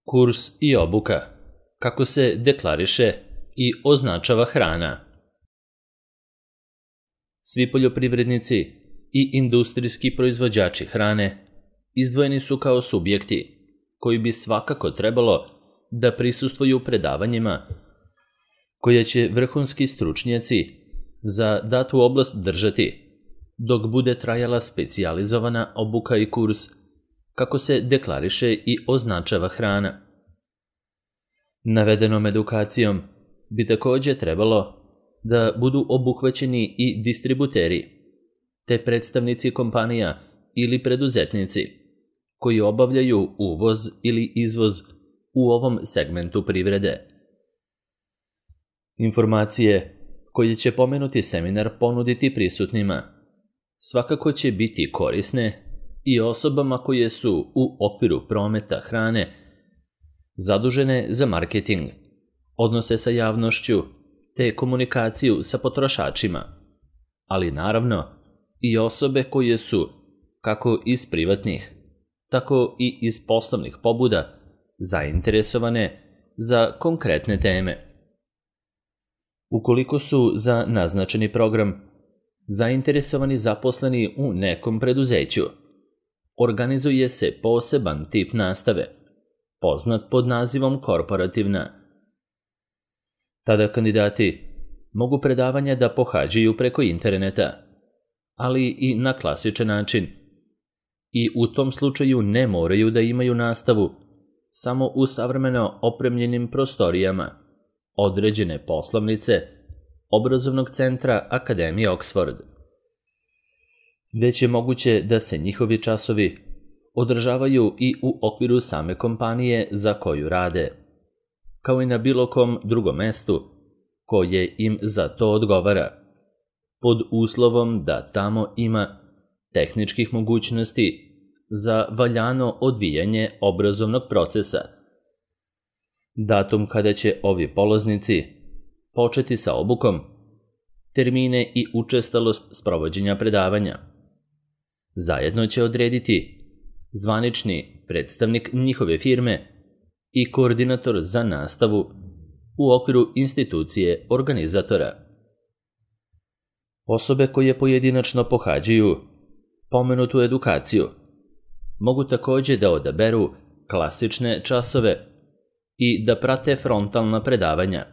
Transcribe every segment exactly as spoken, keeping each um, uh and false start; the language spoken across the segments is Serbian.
Kurs i obuka. Kako se deklariše i označava hrana. Svi poljoprivrednici i industrijski proizvođači hrane izdvojeni su kao subjekti koji bi svakako trebalo da prisustvuju predavanjima koje će vrhunski stručnjaci za datu oblast držati dok bude trajala specijalizovana obuka i kurs kako se deklariše i označava hrana. Navedenom edukacijom bi također trebalo da budu obuhvaćeni i distributeri, te predstavnici kompanija ili preduzetnici koji obavljaju uvoz ili izvoz u ovom segmentu privrede. Informacije koje će pomenuti seminar ponuditi prisutnima svakako će biti korisne i osobama koje su u okviru prometa hrane zadužene za marketing, odnose sa javnošću te komunikaciju sa potrošačima, ali naravno i osobe koje su, kako iz privatnih, tako i iz poslovnih pobuda, zainteresovane za konkretne teme. Ukoliko su za naznačeni program zainteresovani zaposleni u nekom preduzeću, organizuje se poseban tip nastave, poznat pod nazivom korporativna. Tada kandidati mogu predavanja da pohađaju preko interneta, ali i na klasičan način. I u tom slučaju ne moraju da imaju nastavu samo u savremeno opremljenim prostorijama određene poslovnice obrazovnog centra Akademije Oxford. Već je moguće da se njihovi časovi održavaju i u okviru same kompanije za koju rade, kao i na bilo kom drugom mestu koje im za to odgovara, pod uslovom da tamo ima tehničkih mogućnosti za valjano odvijanje obrazovnog procesa. Datum kada će ovi polaznici početi sa obukom, termine i učestalost sprovođenja predavanja zajedno će odrediti zvanični predstavnik njihove firme i koordinator za nastavu u okviru institucije organizatora. Osobe koje pojedinačno pohađaju pomenutu edukaciju mogu također da odaberu klasične časove i da prate frontalna predavanja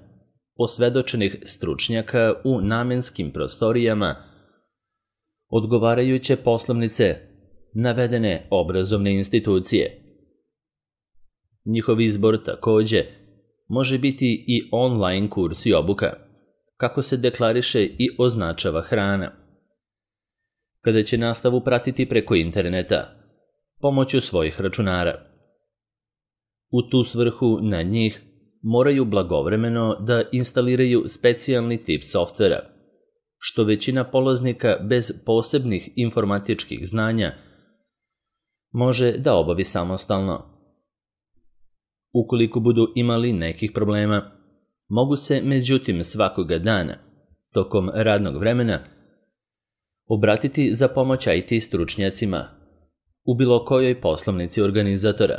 osvedočenih stručnjaka u namenskim prostorijama odgovarajuće poslovnice navedene obrazovne institucije. Njihov izbor također može biti i online kurs i obuka, kako se deklariše i označava hrana, kada će nastavu pratiti preko interneta pomoću svojih računara. U tu svrhu na njih moraju blagovremeno da instaliraju specijalni tip softvera, što većina polaznika bez posebnih informatičkih znanja može da obavi samostalno. Ukoliko budu imali nekih problema, mogu se međutim svakoga dana, tokom radnog vremena, obratiti za pomoć I T stručnjacima u bilo kojoj poslovnici organizatora.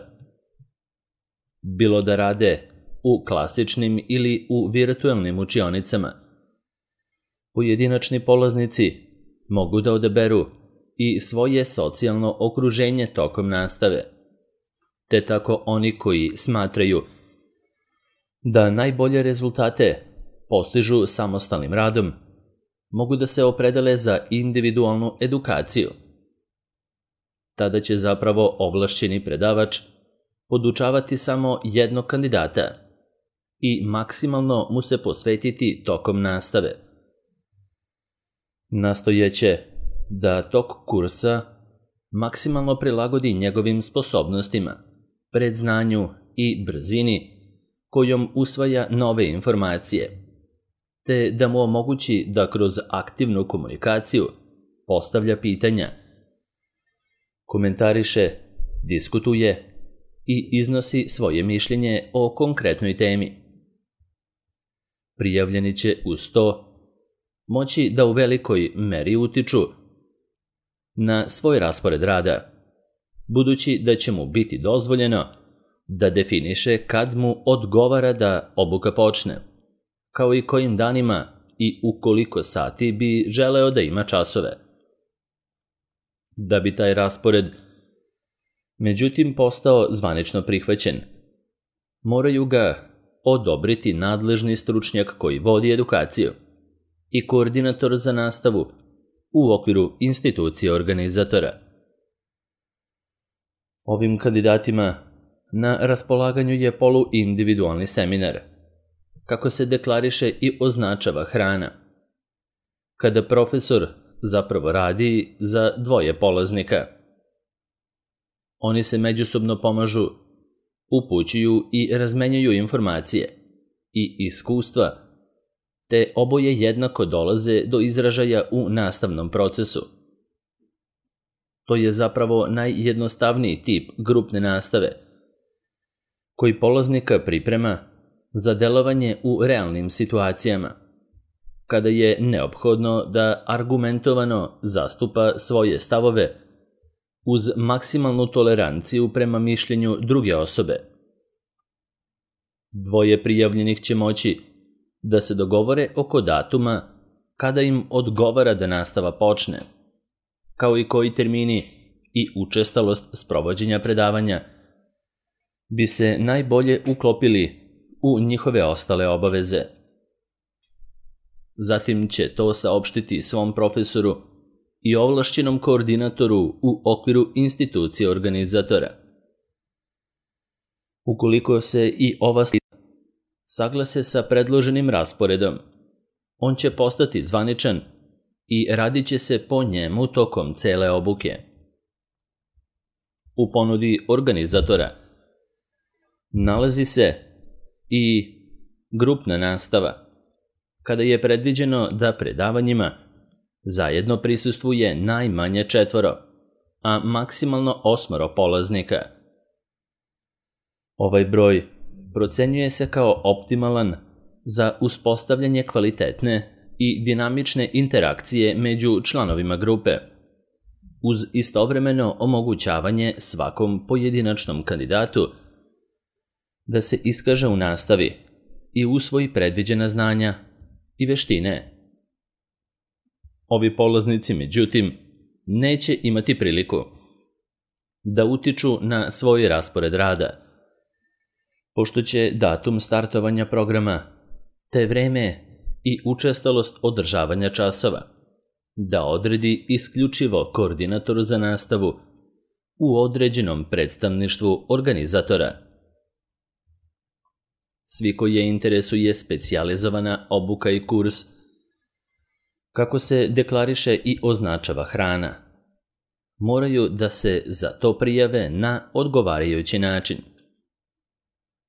Bilo da rade u klasičnim ili u virtualnim učionicama, pojedinačni polaznici mogu da odaberu i svoje socijalno okruženje tokom nastave, te tako oni koji smatraju da najbolje rezultate postižu samostalnim radom mogu da se opredele za individualnu edukaciju. Tada će zapravo ovlašćeni predavač podučavati samo jednog kandidata i maksimalno mu se posvetiti tokom nastave. Nastojeće da tok kursa maksimalno prilagodi njegovim sposobnostima, predznanju i brzini kojom usvaja nove informacije, te da mu omogući da kroz aktivnu komunikaciju postavlja pitanja, komentariše, diskutuje i iznosi svoje mišljenje o konkretnoj temi. Prijavljeni će uz to moći da u velikoj meri utiču na svoj raspored rada, budući da će mu biti dozvoljeno da definiše kad mu odgovara da obuka počne, kao i kojim danima i u koliko sati bi želeo da ima časove. Da bi taj raspored međutim postao zvanično prihvaćen, moraju ga odobriti nadležni stručnjak koji vodi edukaciju i koordinator za nastavu u okviru institucije organizatora. Ovim kandidatima na raspolaganju je poluindividualni seminar, kako se deklariše i označava hrana, kada profesor zapravo radi za dvoje polaznika. Oni se međusobno pomažu, upućuju i razmenjuju informacije i iskustva, te oboje jednako dolaze do izražaja u nastavnom procesu. To je zapravo najjednostavniji tip grupne nastave, koji polaznika priprema za delovanje u realnim situacijama, kada je neophodno da argumentovano zastupa svoje stavove uz maksimalnu toleranciju prema mišljenju druge osobe. Dvoje prijavljenih će moći da se dogovore oko datuma kada im odgovara da nastava počne, kao i koji termini i učestalost sprovođenja predavanja bi se najbolje uklopili u njihove ostale obaveze. Zatim će to saopštiti svom profesoru i ovlašćenom koordinatoru u okviru institucije organizatora. Ukoliko se i ova saglase sa predloženim rasporedom, on će postati zvaničan i radit će se po njemu tokom cele obuke. U ponudi organizatora nalazi se i grupna nastava, kada je predviđeno da predavanjima zajedno prisustvuje najmanje četvoro, a maksimalno osmoro polaznika. Ovaj broj procenjuje se kao optimalan za uspostavljanje kvalitetne i dinamične interakcije među članovima grupe, uz istovremeno omogućavanje svakom pojedinačnom kandidatu da se iskaže u nastavi i usvoji predviđena znanja i veštine. Ovi polaznici, međutim, neće imati priliku da utiču na svoj raspored rada, pošto će datum startovanja programa, te vreme i učestalost održavanja časova da odredi isključivo koordinator za nastavu u određenom predstavništvu organizatora. Svi koje interesuje specijalizovana obuka i kurs, kako se deklariše i označava hrana, moraju da se za to prijave na odgovarajući način.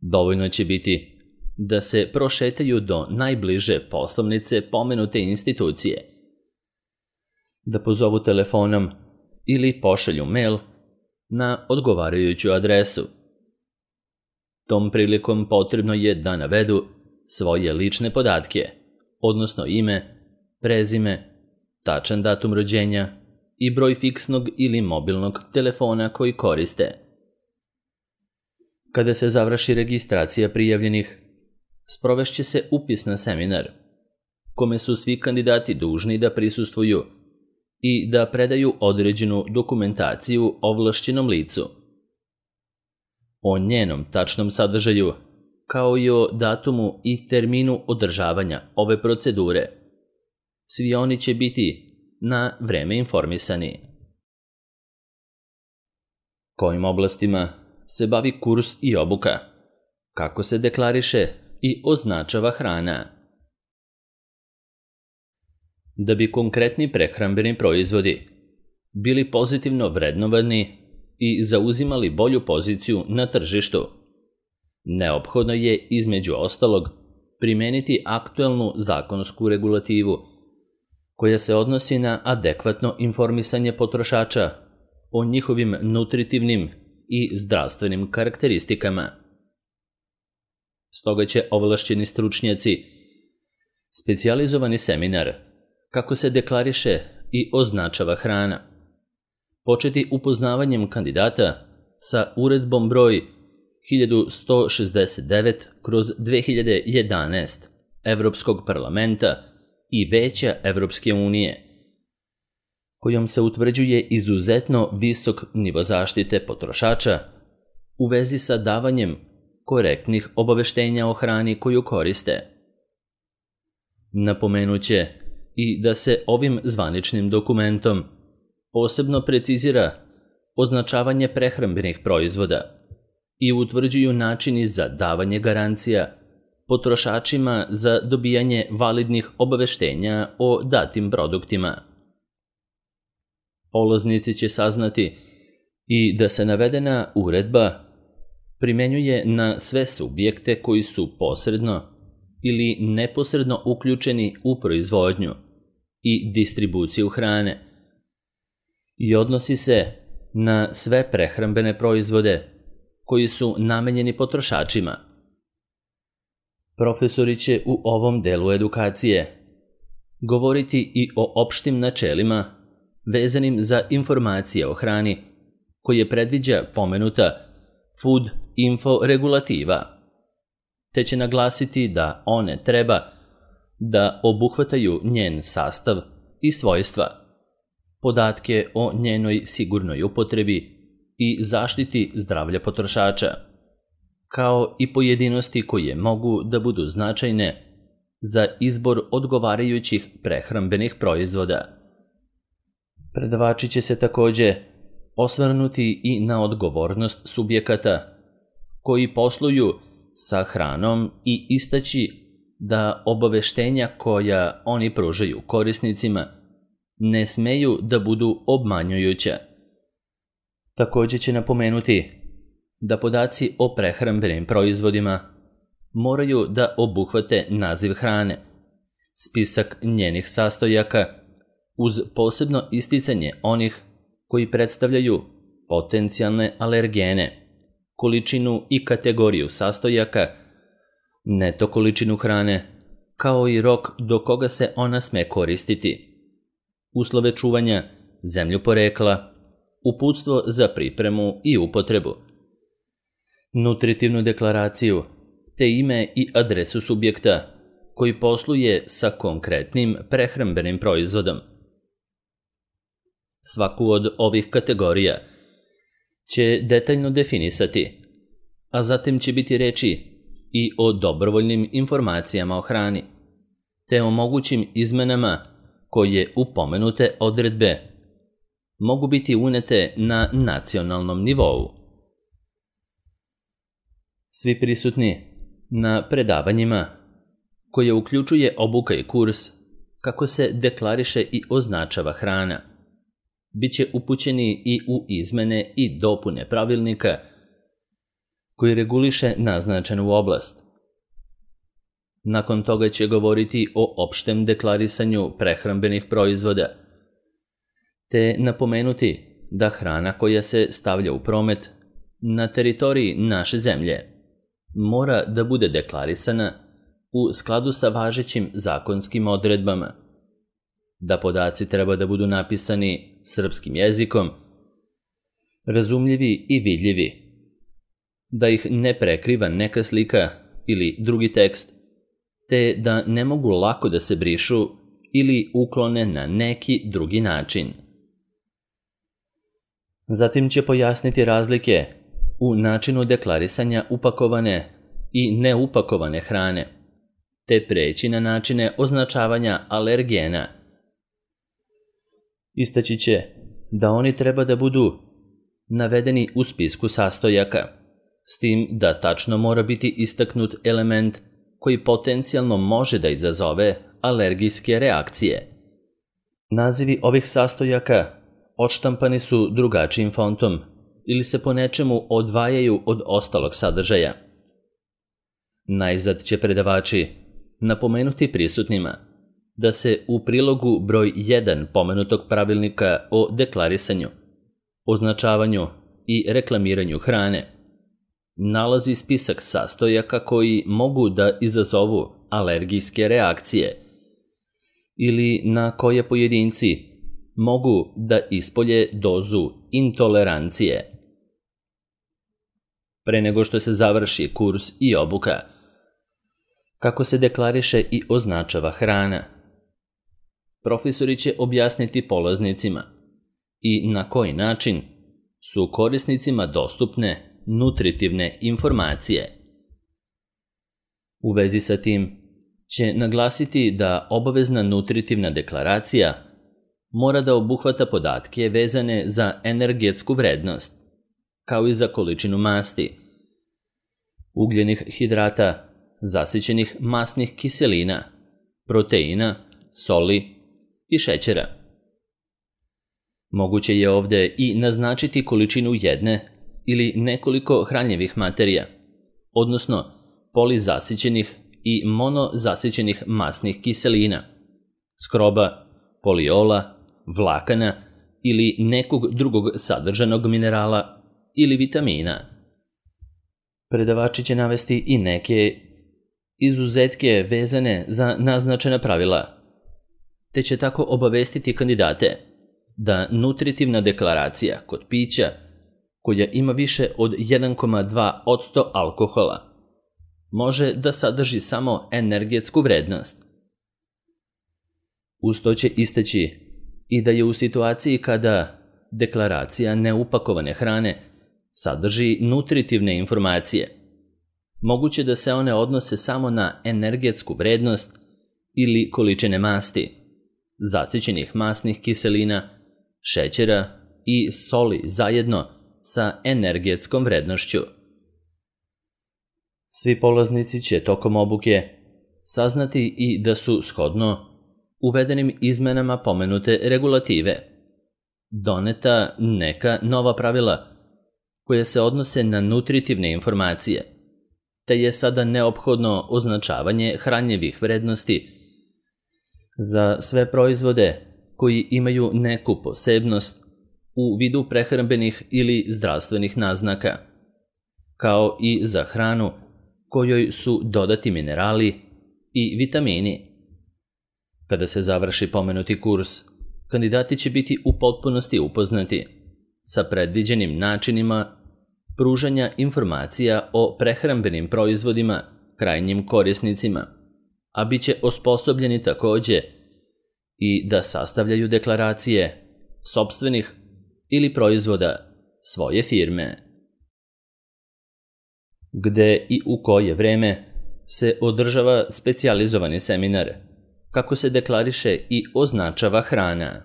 Dovoljno će biti da se prošetaju do najbliže poslovnice pomenute institucije, da pozovu telefonom ili pošalju mail na odgovarajuću adresu. Tom prilikom potrebno je da navedu svoje lične podatke, odnosno ime, prezime, tačan datum rođenja i broj fiksnog ili mobilnog telefona koji koriste. Kada se završi registracija prijavljenih, sprovešće se upis na seminar, kome su svi kandidati dužni da prisustvuju i da predaju određenu dokumentaciju ovlašćenom licu. O njenom tačnom sadržaju, kao i o datumu i terminu održavanja ove procedure, svi oni će biti na vreme informisani. Kojim oblastima se bavi kurs i obuka, kako se deklariše i označava hrana. Da bi konkretni prehrambeni proizvodi bili pozitivno vrednovani i zauzimali bolju poziciju na tržištu, neophodno je između ostalog primeniti aktuelnu zakonsku regulativu koja se odnosi na adekvatno informisanje potrošača o njihovim nutritivnim i zdravstvenim karakteristikama. Stoga će ovlašćeni stručnjaci specijalizovani seminar kako se deklariše i označava hrana početi upoznavanjem kandidata sa uredbom broj hiljadu sto šezdeset devet kroz dve hiljade jedanaest Evropskog parlamenta i Veća Evropske unije, kojom se utvrđuje izuzetno visok nivo zaštite potrošača u vezi sa davanjem korektnih obaveštenja o hrani koju koriste. Napomenuće i da se ovim zvaničnim dokumentom posebno precizira označavanje prehrambenih proizvoda i utvrđuju načini za davanje garancija potrošačima za dobijanje validnih obaveštenja o datim produktima. Polaznici će saznati i da se navedena uredba primenjuje na sve subjekte koji su posredno ili neposredno uključeni u proizvodnju i distribuciju hrane i odnosi se na sve prehrambene proizvode koji su namenjeni potrošačima. Profesori će u ovom delu edukacije govoriti i o opštim načelima vezanim za informacije o hrani koje predviđa pomenuta Food Info regulativa, te će naglasiti da one treba da obuhvataju njen sastav i svojstva, podatke o njenoj sigurnoj upotrebi i zaštiti zdravlja potrošača, kao i pojedinosti koje mogu da budu značajne za izbor odgovarajućih prehrambenih proizvoda. Predavači će se takođe osvrnuti i na odgovornost subjekata koji posluju sa hranom i istaći da obaveštenja koja oni pružaju korisnicima ne smeju da budu obmanjujuća. Takođe će napomenuti da podaci o prehrambenim proizvodima moraju da obuhvate naziv hrane, spisak njenih sastojaka uz posebno isticanje onih koji predstavljaju potencijalne alergene, količinu i kategoriju sastojaka, neto količinu hrane, kao i rok do koga se ona sme koristiti, uslove čuvanja, zemlju porekla, uputstvo za pripremu i upotrebu, nutritivnu deklaraciju, te ime i adresu subjekta koji posluje sa konkretnim prehrambenim proizvodom. Svaku od ovih kategorija će detaljno definisati, a zatim će biti reči i o dobrovoljnim informacijama o hrani, te o mogućim izmenama koje u pomenute odredbe mogu biti unete na nacionalnom nivou. Svi prisutni na predavanjima, koje uključuje obuka i kurs kako se deklariše i označava hrana, biće upućeni i u izmene i dopune pravilnika koji reguliše naznačenu oblast. Nakon toga će govoriti o opštem deklarisanju prehrambenih proizvoda, te napomenuti da hrana koja se stavlja u promet na teritoriji naše zemlje mora da bude deklarisana u skladu sa važećim zakonskim odredbama, da podaci treba da budu napisani srpskim jezikom, razumljivi i vidljivi, da ih ne prekriva neka slika ili drugi tekst, te da ne mogu lako da se brišu ili uklone na neki drugi način. Zatim će pojasniti razlike u načinu deklarisanja upakovane i neupakovane hrane, te preći na načine označavanja alergena. Istaći će da oni treba da budu navedeni u spisku sastojaka, s tim da tačno mora biti istaknut element koji potencijalno može da izazove alergijske reakcije. Nazivi ovih sastojaka odštampani su drugačijim fontom ili se po nečemu odvajaju od ostalog sadržaja. Najzad će predavači napomenuti prisutnima da se u prilogu broj jedan pomenutog pravilnika o deklarisanju, označavanju i reklamiranju hrane nalazi spisak sastojaka koji mogu da izazovu alergijske reakcije ili na koje pojedinci mogu da ispolje dozu intolerancije. pre nego što se završi kurs i obuka. Kako se deklariše i označava hrana. Profesori će objasniti polaznicima i na koji način su korisnicima dostupne nutritivne informacije. U vezi sa tim će naglasiti da obavezna nutritivna deklaracija mora da obuhvata podatke vezane za energetsku vrednost, kao i za količinu masti, ugljenih hidrata, zasićenih masnih kiselina, proteina, soli i šećera. Moguće je ovdje i naznačiti količinu jedne ili nekoliko hranjivih materija, odnosno polizasićenih i monozasićenih masnih kiselina, skroba, poliola, vlakana ili nekog drugog sadržanog minerala ili vitamina. Predavači će navesti i neke izuzetke vezane za naznačena pravila, te će tako obavestiti kandidate da nutritivna deklaracija kod pića, koja ima više od jedan zarez dva posto alkohola, može da sadrži samo energetsku vrednost. Uz to će istaći i da je u situaciji kada deklaracija neupakovane hrane sadrži nutritivne informacije, moguće da se one odnose samo na energetsku vrednost ili količine masti, zasićenih masnih kiselina, šećera i soli zajedno sa energetskom vrednošću. Svi polaznici će tokom obuke saznati i da su shodno uvedenim izmenama pomenute regulative doneta neka nova pravila koja se odnose na nutritivne informacije, te je sada neophodno označavanje hranjivih vrednosti za sve proizvode koji imaju neku posebnost u vidu prehrambenih ili zdravstvenih naznaka, kao i za hranu kojoj su dodati minerali i vitamini. Kada se završi pomenuti kurs, kandidati će biti u potpunosti upoznati sa predviđenim načinima pružanja informacija o prehrambenim proizvodima krajnjim korisnicima, a bit će osposobljeni takođe i da sastavljaju deklaracije sopstvenih ili proizvoda svoje firme. Gde i u koje vreme se održava specijalizovani seminar, kako se deklariše i označava hrana.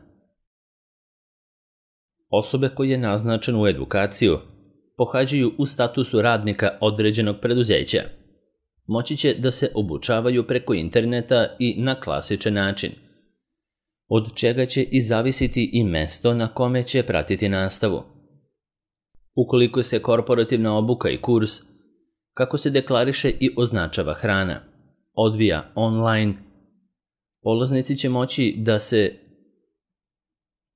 Osobe koje je naznačen u edukaciju pohađaju u statusu radnika određenog preduzeća. Moći će da se obučavaju preko interneta i na klasičan način, od čega će i zavisiti i mesto na kome će pratiti nastavu. Ukoliko se korporativna obuka i kurs, kako se deklariše i označava hrana, odvija online, polaznici će moći da se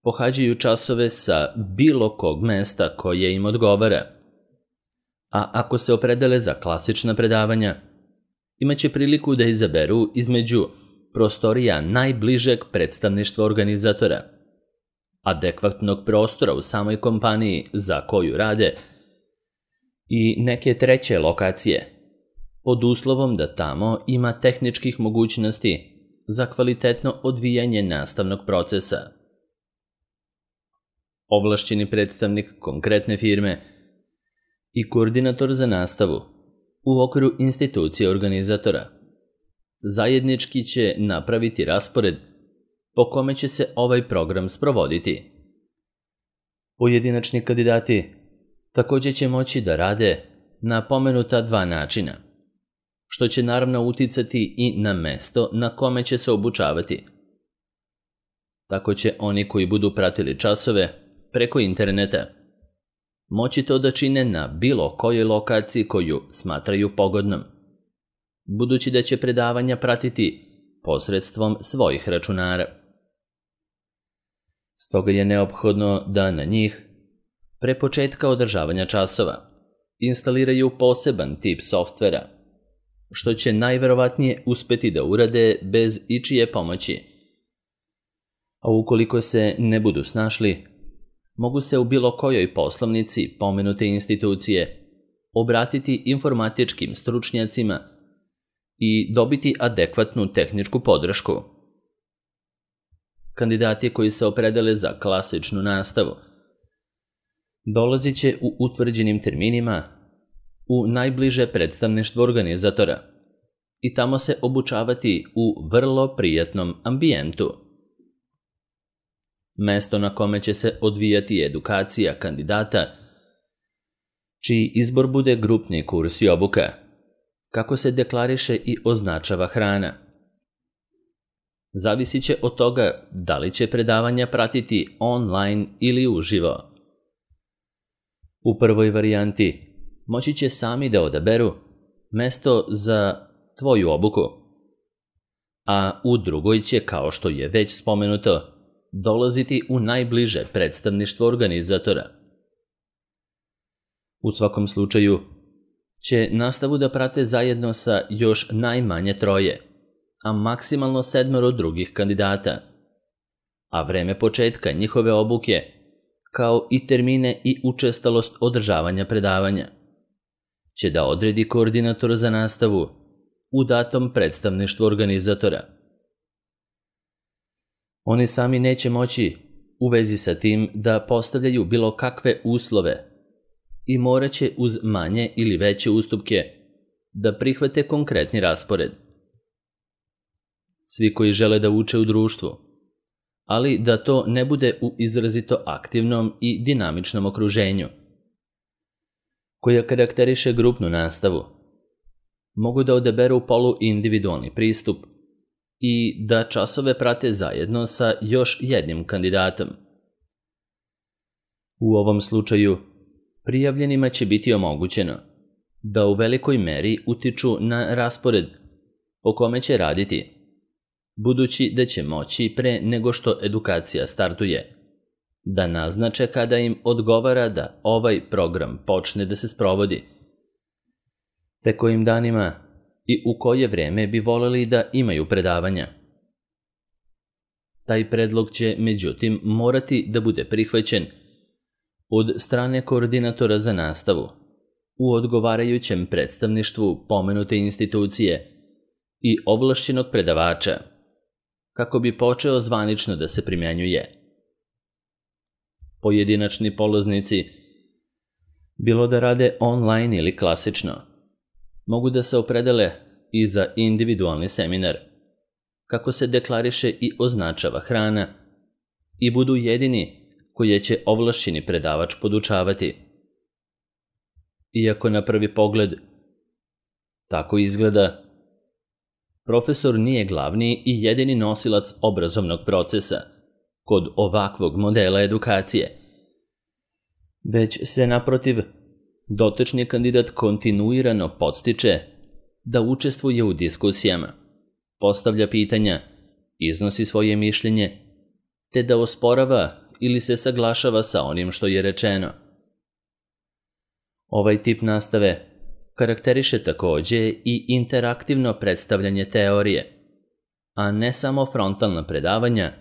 pohađaju časove sa bilo kog mesta koje im odgovara, a ako se opredele za klasična predavanja, imaće priliku da izaberu između prostorija najbližeg predstavništva organizatora, adekvatnog prostora u samoj kompaniji za koju rade i neke treće lokacije, pod uslovom da tamo ima tehničkih mogućnosti za kvalitetno odvijanje nastavnog procesa. Ovlašćeni predstavnik konkretne firme i koordinator za nastavu u okviru institucije organizatora zajednički će napraviti raspored po kome će se ovaj program sprovoditi. Pojedinačni kandidati takođe će moći da rade na pomenuta dva načina, što će naravno uticati i na mesto na kome će se obučavati. Tako će oni koji budu pratili časove preko interneta moći to da čine na bilo kojoj lokaciji koju smatraju pogodnom, budući da će predavanja pratiti posredstvom svojih računara. Stoga je neophodno da na njih, pre početka održavanja časova, instaliraju poseban tip softvera, što će najverovatnije uspeti da urade bez ičije pomoći. A ukoliko se ne budu snašli, mogu se u bilo kojoj poslovnici pomenute institucije obratiti informatičkim stručnjacima i dobiti adekvatnu tehničku podršku. Kandidati koji se opredele za klasičnu nastavu dolazit će u utvrđenim terminima u najbliže predstavništvo organizatora i tamo se obučavati u vrlo prijatnom ambijentu. Mesto na kome će se odvijati edukacija kandidata, čiji izbor bude grupni kurs i obuka, kako se deklariše i označava hrana. Zavisit će od toga da li će predavanja pratiti online ili uživo. U prvoj varijanti moći će sami da odaberu mesto za tvoju obuku, a u drugoj će, kao što je već spomenuto, dolaziti u najbliže predstavništvo organizatora. U svakom slučaju će nastavu da prate zajedno sa još najmanje troje, a maksimalno sedmoro drugih kandidata, a vreme početka njihove obuke, kao i termine i učestalost održavanja predavanja, će da odredi koordinator za nastavu u datom predstavništvu organizatora. Oni sami neće moći u vezi sa tim da postavljaju bilo kakve uslove i morat će uz manje ili veće ustupke da prihvate konkretni raspored. Svi koji žele da uče u društvu, ali da to ne bude u izrazito aktivnom i dinamičnom okruženju, koja karakteriše grupnu nastavu, mogu da odaberu poluindividualni pristup i da časove prate zajedno sa još jednim kandidatom. U ovom slučaju, prijavljenima će biti omogućeno da u velikoj meri utiču na raspored po kome će raditi, budući da će moći pre nego što edukacija startuje, da naznače kada im odgovara da ovaj program počne da se sprovodi, te kojim danima i u koje vreme bi voleli da imaju predavanja. Taj predlog će, međutim, morati da bude prihvaćen od strane koordinatora za nastavu u odgovarajućem predstavništvu pomenute institucije i ovlašćenog predavača, kako bi počeo zvanično da se primenjuje. Pojedinačni polaznici, bilo da rade online ili klasično, mogu da se opredele i za individualni seminar, kako se deklariše i označava hrana, i budu jedini koje će ovlašćeni predavač podučavati. Iako na prvi pogled tako izgleda, profesor nije glavni i jedini nosilac obrazovnog procesa kod ovakvog modela edukacije, već se naprotiv dotični kandidat kontinuirano podstiče da učestvuje u diskusijama, postavlja pitanja, iznosi svoje mišljenje, te da osporava ili se saglašava sa onim što je rečeno. Ovaj tip nastave karakteriše takođe i interaktivno predstavljanje teorije, a ne samo frontalna predavanja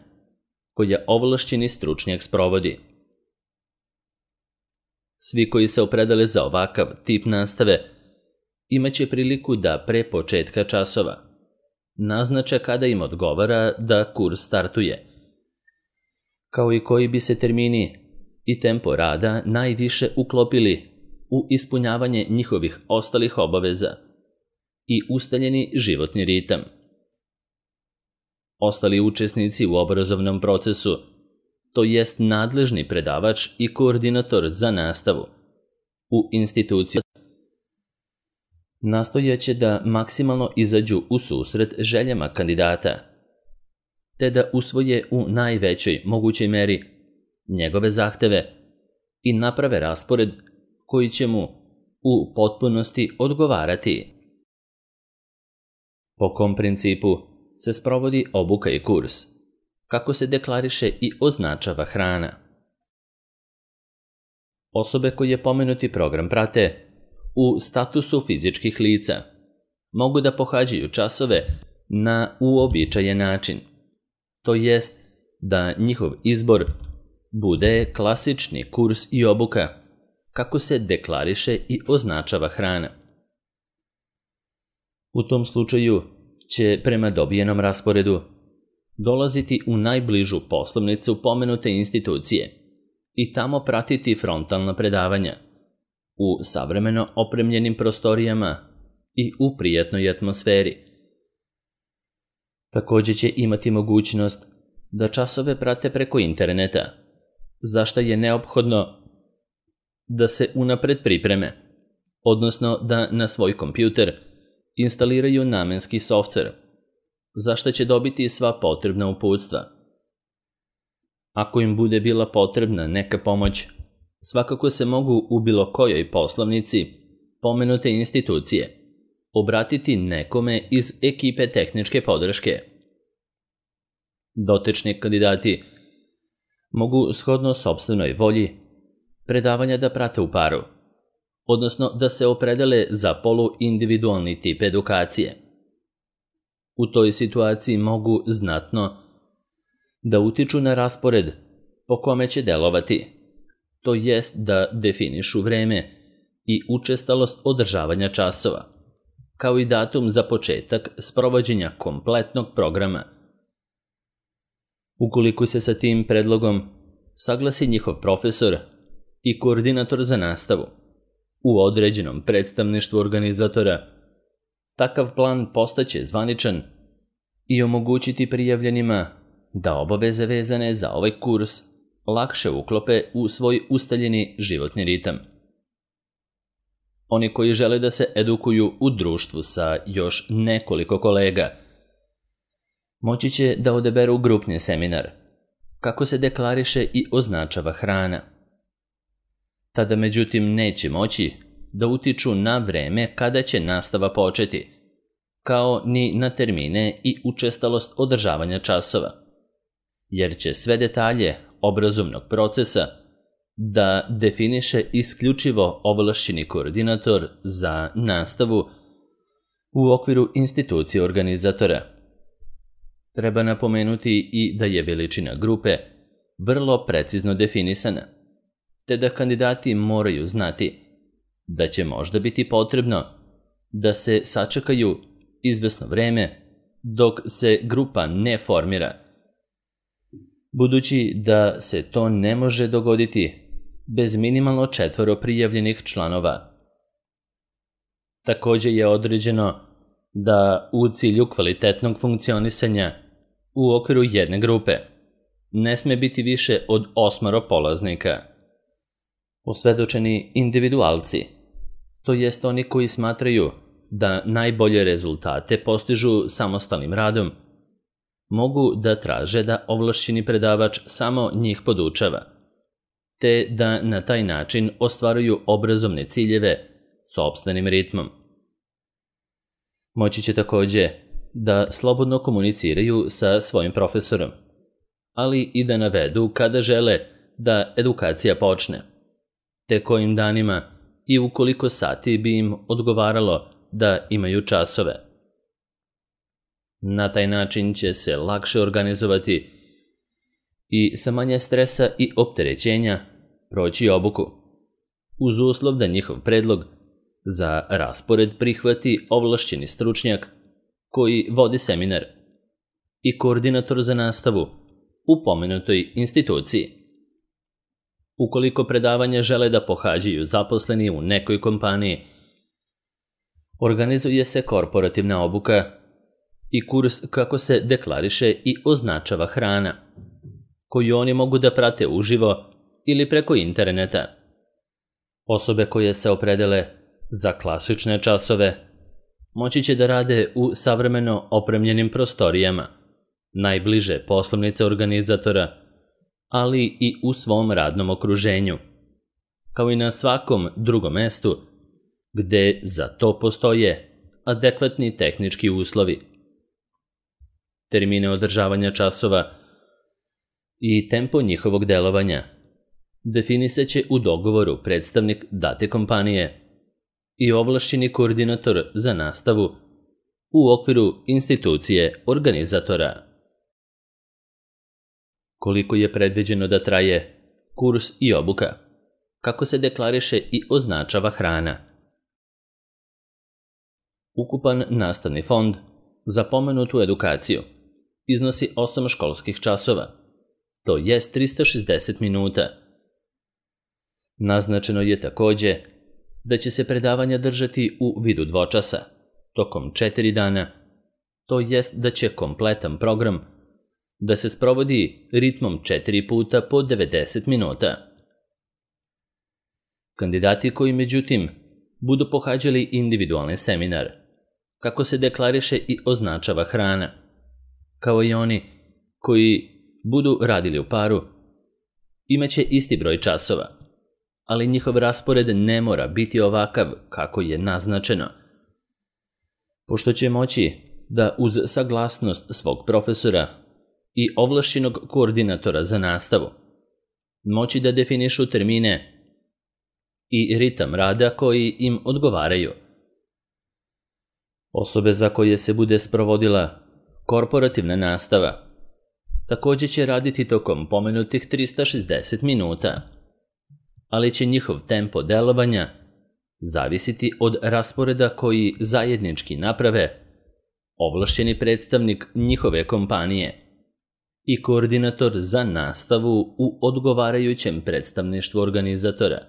koja ovlašćeni stručnjak sprovodi. Svi koji se opredele za ovakav tip nastave imaće priliku da pre početka časova naznače kada im odgovara da kurs startuje, kao i koji bi se termini i tempo rada najviše uklopili u ispunjavanje njihovih ostalih obaveza i ustaljeni životni ritam. Ostali učesnici u obrazovnom procesu, to jest nadležni predavač i koordinator za nastavu u instituciji, nastojaće da maksimalno izađu u susret željama kandidata, te da usvoje u najvećoj mogućoj meri njegove zahteve i naprave raspored koji će mu u potpunosti odgovarati. Po kom principu se sprovodi obuka i kurs, kako se deklariše i označava hrana. Osobe koje pomenuti program prate u statusu fizičkih lica mogu da pohađaju časove na uobičajen način, to jest da njihov izbor bude klasični kurs i obuka kako se deklariše i označava hrana. U tom slučaju će prema dobijenom rasporedu dolaziti u najbližu poslovnicu pomenute institucije i tamo pratiti frontalna predavanja u savremeno opremljenim prostorijama i u prijatnoj atmosferi. Također će imati mogućnost da časove prate preko interneta, za što je neophodno da se unapred pripreme, odnosno da na svoj kompjuter instaliraju namenski softver, za što će dobiti sva potrebna uputstva. Ako im bude bila potrebna neka pomoć, svakako se mogu u bilo kojoj poslovnici pomenute institucije obratiti nekome iz ekipe tehničke podrške. Dotični kandidati mogu shodno sopstvenoj volji predavanja da prate u paru, odnosno da se opredele za poluindividualni tip edukacije. U toj situaciji mogu znatno da utiču na raspored po kome će delovati, to jest da definišu vreme i učestalost održavanja časova, kao i datum za početak sprovođenja kompletnog programa. Ukoliko se sa tim predlogom saglasi njihov profesor i koordinator za nastavu u određenom predstavništvu organizatora, takav plan postaće zvaničan i omogućiti prijavljenima da obaveze vezane za ovaj kurs lakše uklope u svoj ustaljeni životni ritam. Oni koji žele da se edukuju u društvu sa još nekoliko kolega, moći će da odaberu grupni seminar, kako se deklariše i označava hrana. Tada međutim neće moći da utiču na vreme kada će nastava početi, kao ni na termine i učestalost održavanja časova, jer će sve detalje obrazovnog procesa da definiše isključivo ovlašćeni koordinator za nastavu u okviru institucije organizatora. Treba napomenuti i da je veličina grupe vrlo precizno definisana, te da kandidati moraju znati da će možda biti potrebno da se sačekaju izvesno vreme dok se grupa ne formira, budući da se to ne može dogoditi bez minimalno četvoro prijavljenih članova. Također je određeno da u cilju kvalitetnog funkcionisanja u okviru jedne grupe ne sme biti više od osmoro polaznika. Osvedočeni individualci, to jest oni koji smatraju da najbolje rezultate postižu samostalnim radom, mogu da traže da ovlašćeni predavač samo njih podučava, te da na taj način ostvaruju obrazovne ciljeve sopstvenim ritmom. Moći će također da slobodno komuniciraju sa svojim profesorom, ali i da navedu kada žele da edukacija počne, te kojim danima i u koliko sati bi im odgovaralo da imaju časove. Na taj način će se lakše organizovati i sa manje stresa i opterećenja proći obuku, uz uslov da njihov predlog za raspored prihvati ovlašćeni stručnjak koji vodi seminar i koordinator za nastavu u pomenutoj instituciji. Ukoliko predavanje žele da pohađaju zaposleni u nekoj kompaniji, organizuje se korporativna obuka i kurs kako se deklariše i označava hrana, koju oni mogu da prate uživo ili preko interneta. Osobe koje se opredele za klasične časove moći će da rade u savremeno opremljenim prostorijama, najbliže poslovnice organizatora, ali i u svom radnom okruženju, kao i na svakom drugom mestu gde za to postoje adekvatni tehnički uslovi. Termine održavanja časova i tempo njihovog delovanja definisat će u dogovoru predstavnik date kompanije i ovlašćeni koordinator za nastavu u okviru institucije organizatora. Koliko je predviđeno da traje kurs i obuka, kako se deklariše i označava hrana. Ukupan nastavni fond za pomenutu edukaciju iznosi osam školskih časova, to jest trista šezdeset minuta. Naznačeno je takođe da će se predavanja držati u vidu dvočasa, tokom četiri dana, to jest da će kompletan program da se sprovodi ritmom četiri puta po devedeset minuta. Kandidati koji, međutim, budu pohađali individualni seminar, kako se deklariše i označava hrana, kao i oni koji budu radili u paru, imaće isti broj časova, ali njihov raspored ne mora biti ovakav kako je naznačeno, pošto će moći da uz saglasnost svog profesora i ovlašćenog koordinatora za nastavu moći da definišu termine i ritam rada koji im odgovaraju. Osobe za koje se bude sprovodila korporativna nastava takođe će raditi tokom pomenutih trista šezdeset minuta, ali će njihov tempo delovanja zavisiti od rasporeda koji zajednički naprave ovlašćeni predstavnik njihove kompanije i koordinator za nastavu u odgovarajućem predstavništvu organizatora.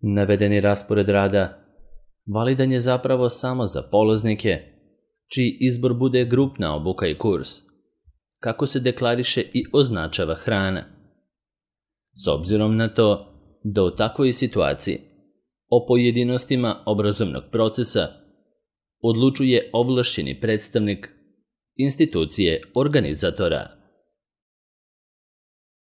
Navedeni raspored rada validan je zapravo samo za polaznike čiji izbor bude grupna obuka i kurs, kako se deklariše i označava hrana. S obzirom na to da u takvoj situaciji o pojedinostima obrazovnog procesa odlučuje ovlašćeni predstavnik institucije organizatora.